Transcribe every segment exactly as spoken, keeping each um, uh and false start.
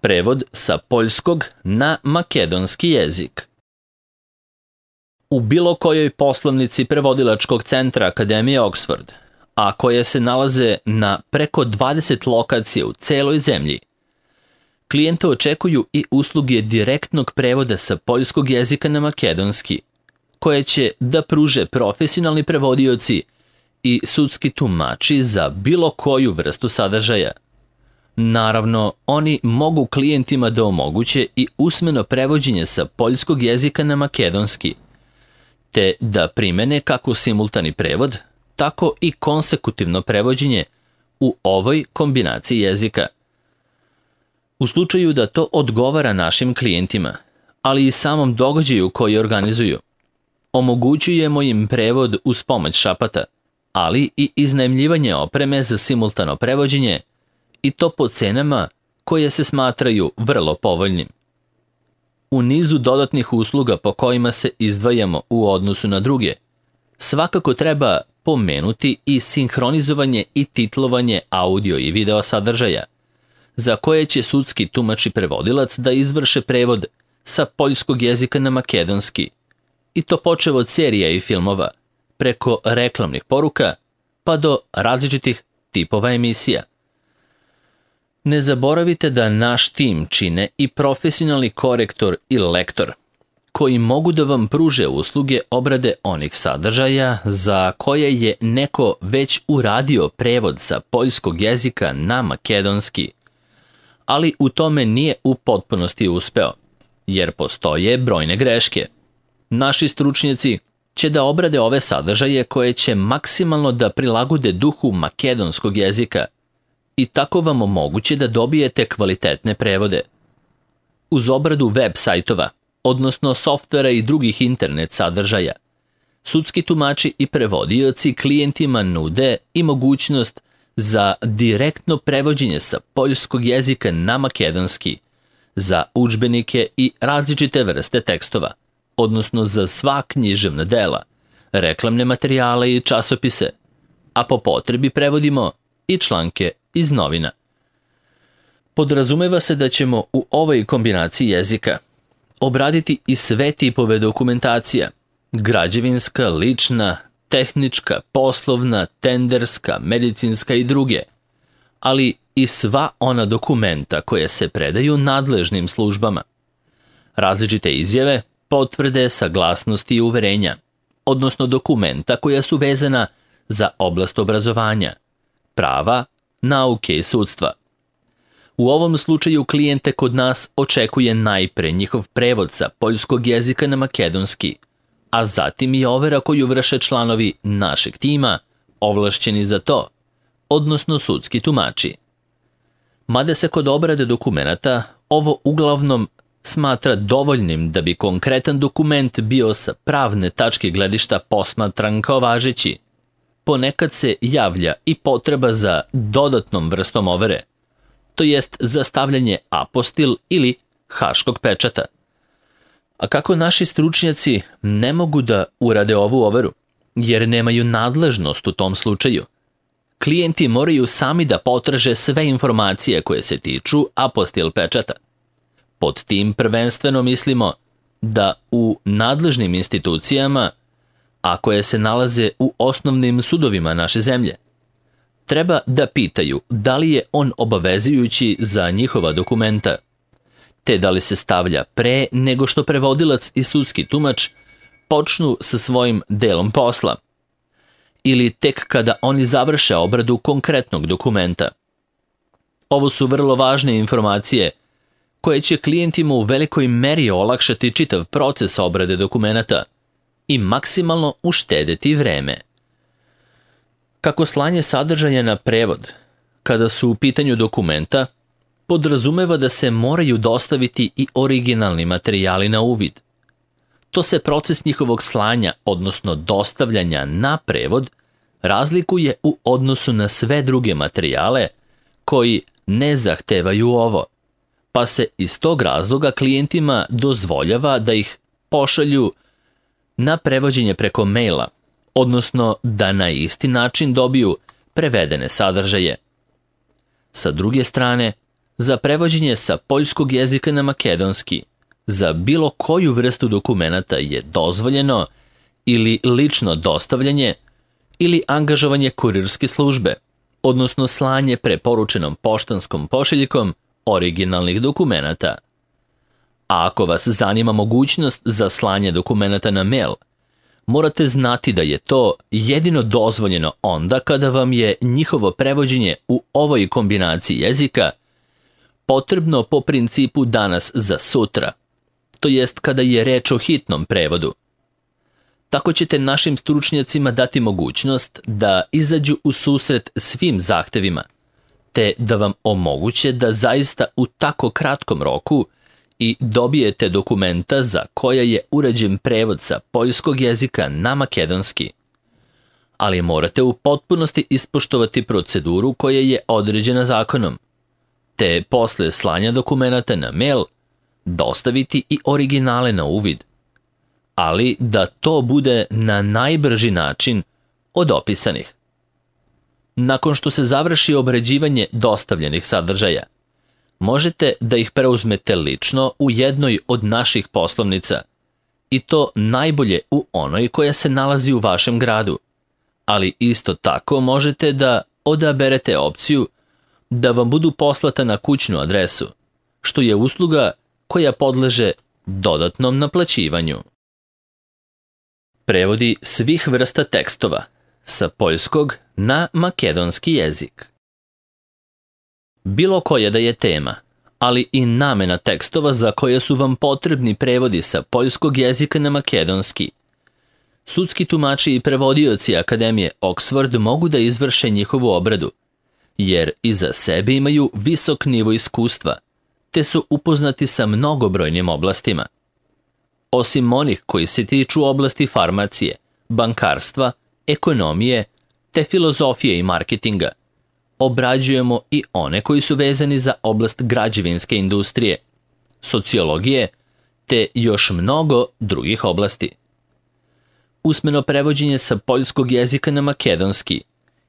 Prevod sa poljskog na makedonski jezik. U bilo kojoj poslovnici prevodilačkog centra Akademije Oxford, a koje se nalaze na preko dvadeset lokacija u celoj zemlji, klijente očekuju i usluge direktnog prevoda sa poljskog jezika na makedonski, koje će da pruže profesionalni prevodioci i sudski tumači za bilo koju vrstu sadržaja. Naravno, oni mogu klijentima da omoguće i usmeno prevođenje sa poljskog jezika na makedonski, te da primene kako simultani prevod, tako i konsekutivno prevođenje u ovoj kombinaciji jezika. U slučaju da to odgovara našim klijentima, ali i samom događaju koji organizuju, omogućujemo im prevod uz pomoć šapata, ali i iznajmljivanje opreme za simultano prevođenje, i to po cenama koje se smatraju vrlo povoljnim. U nizu dodatnih usluga po kojima se izdvajamo u odnosu na druge, svakako treba pomenuti i sinhronizovanje i titlovanje audio i video sadržaja, za koje će sudski tumač i prevodilac da izvrše prevod sa poljskog jezika na makedonski, i to počev od serija i filmova, preko reklamnih poruka, pa do različitih tipova emisija. Ne zaboravite da naš tim čine i profesionalni korektor i lektor, koji mogu da vam pruže usluge obrade onih sadržaja za koje je neko već uradio prevod sa poljskog jezika na makedonski, ali u tome nije u potpunosti uspeo, jer postoje brojne greške. Naši stručnjaci će da obrade ove sadržaje koje će maksimalno da prilagode duhu makedonskog jezika i tako vam omoguće da dobijete kvalitetne prevode. Uz obradu web sajtova, odnosno softvera i drugih internet sadržaja, sudski tumači i prevodioci klijentima nude i mogućnost za direktno prevođenje sa poljskog jezika na makedonski, za udžbenike i različite vrste tekstova, odnosno za sva književna dela, reklamne materijale i časopise, a po potrebi prevodimo i članke iz novina. Podrazumeva se da ćemo u ovoj kombinaciji jezika obraditi i sve tipove dokumentacija, građevinska, lična, tehnička, poslovna, tenderska, medicinska i druge, ali i sva ona dokumenta koje se predaju nadležnim službama, različite izjave, potvrde, saglasnosti i uverenja, odnosno dokumenta koja su vezana za oblast obrazovanja, prava, nauke i sudstva. U ovom slučaju klijente kod nas očekuje najpre njihov prevod sa poljskog jezika na makedonski, a zatim i overa koju vrše članovi našeg tima, ovlašćeni za to, odnosno sudski tumači. Mada se kod obrade dokumenata ovo uglavnom smatra dovoljnim da bi konkretan dokument bio sa pravne tačke gledišta posmatran kao važeći, ponekad se javlja i potreba za dodatnom vrstom overe, to jest za stavljanje apostil ili haškog pečata. A kako naši stručnjaci ne mogu da urade ovu overu, jer nemaju nadležnost u tom slučaju, klijenti moraju sami da potraže sve informacije koje se tiču apostil pečata. Pod tim prvenstveno mislimo da u nadležnim institucijama, a koje se nalaze u osnovnim sudovima naše zemlje, treba da pitaju da li je on obavezujući za njihova dokumenta, te da li se stavlja pre nego što prevodilac i sudski tumač počnu sa svojim delom posla, ili tek kada oni završe obradu konkretnog dokumenta. Ovo su vrlo važne informacije koje će klijentima u velikoj meri olakšati čitav proces obrade dokumenata i maksimalno uštedeti vreme. Kako slanje sadržaja na prevod, kada su u pitanju dokumenta, podrazumeva da se moraju dostaviti i originalni materijali na uvid. To se proces njihovog slanja, odnosno dostavljanja na prevod, razlikuje u odnosu na sve druge materijale koji ne zahtevaju ovo, pa se iz tog razloga klijentima dozvoljava da ih pošalju na prevođenje preko maila, odnosno da na isti način dobiju prevedene sadržaje. Sa druge strane, Za prevođenje sa poljskog jezika na makedonski za bilo koju vrstu dokumenata je dozvoljeno ili lično dostavljanje ili angažovanje kurirske službe, odnosno slanje preporučenom poštanskom pošiljkom originalnih dokumenata. A ako vas zanima mogućnost za slanje dokumenata na mail, morate znati da je to jedino dozvoljeno onda kada vam je njihovo prevođenje u ovoj kombinaciji jezika potrebno po principu danas za sutra, to jest kada je reč o hitnom prevodu. Tako ćete našim stručnjacima dati mogućnost da izađu u susret svim zahtevima, te da vam omoguće da zaista u tako kratkom roku i dobijete dokumenta za koja je urađen prevod sa poljskog jezika na makedonski. Ali morate u potpunosti ispoštovati proceduru koja je određena zakonom, te posle slanja dokumenata na mail dostaviti i originale na uvid, ali da to bude na najbrži način od opisanih. Nakon što se završi obrađivanje dostavljenih sadržaja, možete da ih preuzmete lično u jednoj od naših poslovnica, i to najbolje u onoj koja se nalazi u vašem gradu, ali isto tako možete da odaberete opciju da vam budu poslata na kućnu adresu, što je usluga koja podleže dodatnom naplaćivanju. Prevodi svih vrsta tekstova sa poljskog na makedonski jezik. Bilo koja da je tema, ali i namena tekstova za koje su vam potrebni prevodi sa poljskog jezika na makedonski. Sudski tumači i prevodioci Akademije Oxford mogu da izvrše njihovu obradu, jer iza sebe imaju visok nivo iskustva, te su upoznati sa mnogobrojnim oblastima. Osim onih koji se tiču oblasti farmacije, bankarstva, ekonomije, te filozofije i marketinga, obrađujemo i one koji su vezani za oblast građevinske industrije, sociologije, te još mnogo drugih oblasti. Usmeno prevođenje sa poljskog jezika na makedonski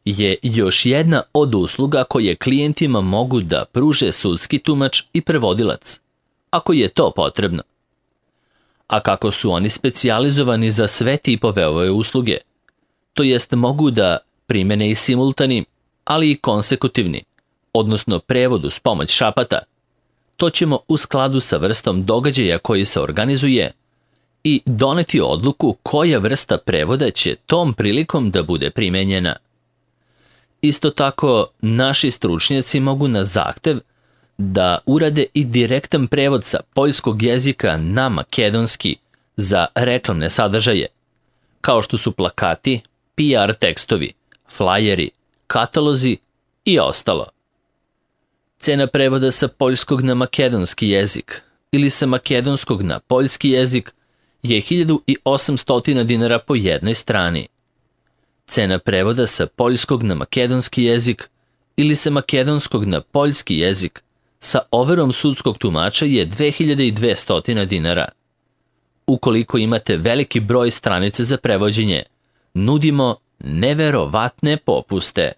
je još jedna od usluga koje klijentima mogu da pruže sudski tumač i prevodilac, ako je to potrebno. A kako su oni specijalizovani za sve tipove ove usluge, to jest mogu da primene i simultani, ali i konsekutivni, odnosno prevod uz pomoć šapata, to ćemo u skladu sa vrstom događaja koji se organizuje i doneti odluku koja vrsta prevoda će tom prilikom da bude primenjena. Isto tako, naši stručnjaci mogu na zahtev da urade i direktan prevod sa poljskog jezika na makedonski za reklamne sadržaje, kao što su plakati, P R tekstovi, flajeri, katalozi i ostalo. Cena prevoda sa poljskog na makedonski jezik ili sa makedonskog na poljski jezik je hiljadu osamsto dinara po jednoj strani. Cena prevoda sa poljskog na makedonski jezik ili sa makedonskog na poljski jezik sa overom sudskog tumača je dve hiljade dvesta dinara. Ukoliko imate veliki broj stranica za prevođenje, nudimo neverovatne popuste.